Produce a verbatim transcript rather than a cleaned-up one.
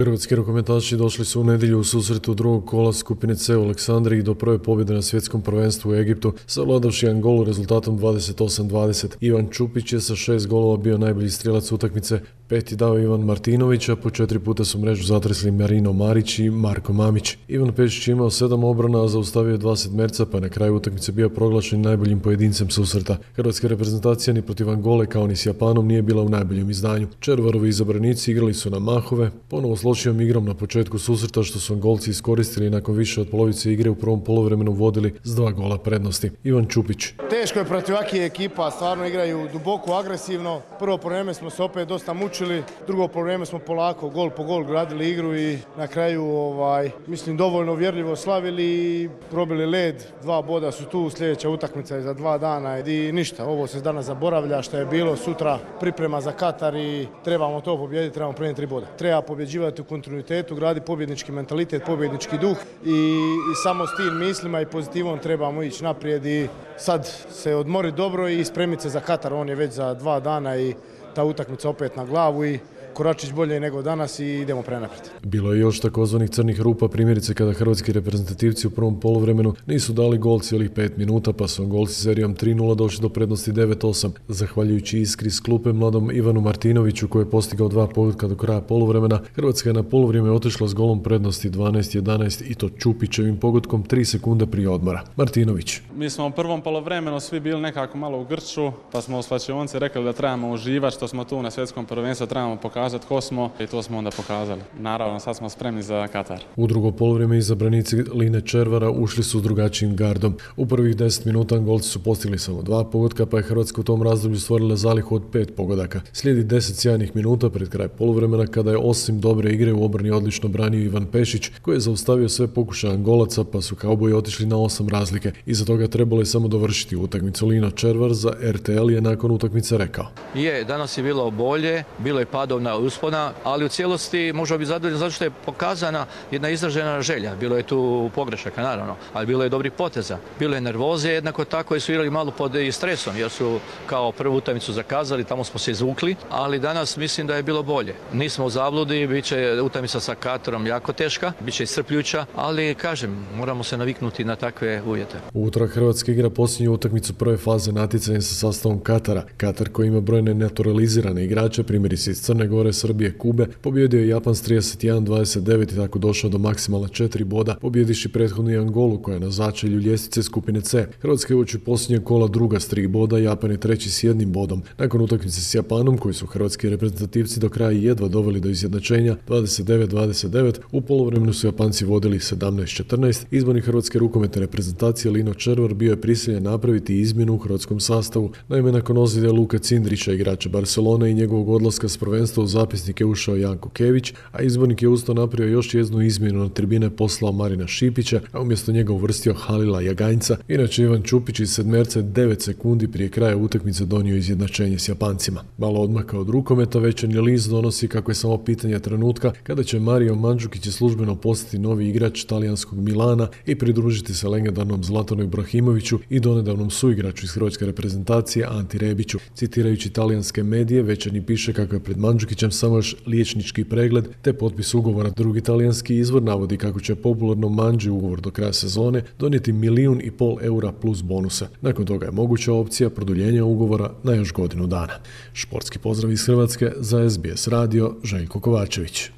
Hrvatski rukometaši došli su u nedjelju u susretu drugog kola skupine C u Aleksandriji do prve pobjede na svjetskom prvenstvu u Egiptu, savladavši Angolu rezultatom dvadeset osam dvadeset. Ivan Čupić je sa šest golova bio najbolji strijelac utakmice, peti dao Ivan Martinović, a po četiri puta su mrežu zatresli Marino Marić i Marko Mamić. Ivan Pešić je imao sedam obrana, a zaustavio dva sedmerca, pa na kraju utakmice bio proglašen najboljim pojedincem susreta. Hrvatska reprezentacija ni protiv Angole kao ni s Japanom nije bila u najboljem izdanju. Červarovi izabranici igrali su na mahove, ponovo s lošijom igrom na početku susreta što su Angolci iskoristili nakon više od polovice igre u prvom poluvremenu vodili s dva gola prednosti. Ivan Čupić. Teško je protiv ovakvih ekipa, stvarno igraju duboko, agresivno. Prvo poluvreme smo se opet dosta mučili, drugo poluvreme smo polako gol po gol gradili igru i na kraju ovaj, mislim dovoljno uvjerljivo slavili i probili led. Dva boda su tu, sljedeća utakmica je za dva dana i ništa, ovo se danas zaboravlja što je bilo, sutra priprema za Katar i trebamo to pobijediti, trebamo prenijeti tri boda. Treba pobjeđivati u kontinuitetu, gradi pobjednički mentalitet, pobjednički duh i, i samo s tim mislima i pozitivom trebamo ići naprijed i sad se odmori dobro i spremiti se za Katar, on je već za dva dana i ta utakmica opet na glavu i Koračić bolje nego danas i idemo prenaprijed. Bilo je još takozvanih crnih rupa, primjerice kada hrvatski reprezentativci u prvom poluvremenu nisu dali gol cijelih pet minuta, pa su Angolci serijom tri nula došli do prednosti devet osam. Zahvaljujući iskri s klupe mladom Ivanu Martinoviću koji je postigao dva pogotka do kraja poluvremena, Hrvatska je na poluvrijeme otišla s golom prednosti dvanaest jedanaest i to Čupićevim pogodkom tri sekunde prije odmora. Martinović. Mi smo u prvom poluvremenu svi bili nekako malo u grču, pa smo u slačionci rekli da trebamo uživati što smo tu na svjetskom prvenstvu, trebamo pokazati tko smo i to smo onda pokazali. Naravno, sad smo spremni za Katar. U drugo poluvrijeme izabranici Line Červara ušli su s drugačijim gardom. U prvih deset minuta Angolci su postigli samo dva pogotka, pa je Hrvatska u tom razdoblju stvorila zalihu od pet pogodaka. Slijedi deset sjajnih minuta pred kraj poluvremena kada je osim dobre igre u obrani odlično branio Ivan Pešić, koji je zaustavio sve pokušaje Angolaca, pa su kauboji otišli na osam razlike. Iza toga trebalo je samo dovršiti utakmicu. Lino Červar za R T L je nakon utakmice rekao: Je, danas je bilo bolje, bilo je padovna uspona, ali u cijelosti možemo biti zadovoljni zato što je pokazana jedna izražena želja. Bilo je tu pogrešaka, naravno, ali bilo je dobrih poteza. Bilo je nervoze, jednako tako i su igrali malo pod stresom, jer su kao prvu utakmicu zakazali, tamo smo se izvukli, ali danas mislim da je bilo bolje. Nismo u zabludi, bit će utakmica sa Katarom jako teška, bit će iscrpljuća, ali kažem, moramo se naviknuti na takve uvjete. U utorak Hrvatska igra posljednju utakmicu prve faze natjecanja sa sastavom Katara. Katar, koji ima brojne naturalizirane igrače, primjerice iz Crne Gore, Srbije, Kube, pobjedio je Japan s trideset jedan dvadeset devet i tako došao do maksimalna četiri boda, pobjediši prethodnu Angolu koja je na začelju ljestvice skupine C. Hrvatska je uoči posljednjeg kola druga s tri boda, Japan je treći s jednim bodom. Nakon utakmice s Japanom, koji su hrvatski reprezentativci do kraja jedva doveli do izjednačenja dvadeset devet dvadeset devet, u poluvremenu su Japanci vodili sedamnaest četrnaest. Izbornik hrvatske rukometne reprezentacije Lino Červar bio je prisiljen napraviti izmjenu u hrvatskom sastavu. Naime, nakon ozljede Luka Cindrića, igrača Barcelone, i njegovog odlaska s prvenstva u zapisnik je ušao Janko Kević, a izbornik je usto napravio još jednu izmjenu, na tribine poslao Marina Šipića, a umjesto njega uvrstio Halila Jaganjca. Inače, Ivan Čupić iz sedmerca devet sekundi prije kraja utakmice donio izjednačenje s Japancima. Malo odmaka od rukometa, večernji list donosi kako je samo pitanje trenutka kada će Mario Mandžukić službeno postati novi igrač talijanskog Milana i pridružiti se legendarnom Zlatanu Ibrahimoviću i donedavnom suigraču iz hrvatske reprezentacije Anti Rebiću. Citirajući talijanske medije, večernji piše kako je pred Mandžukićem samo još liječnički pregled te potpis ugovora. Drugi talijanski izvor navodi kako će popularno Mandži ugovor do kraja sezone donijeti milijun i pol eura plus bonusa. Nakon toga je moguća opcija produljenja ugovora na još godinu dana. Športski pozdrav iz Hrvatske za S B S radio, Željko Kovačević.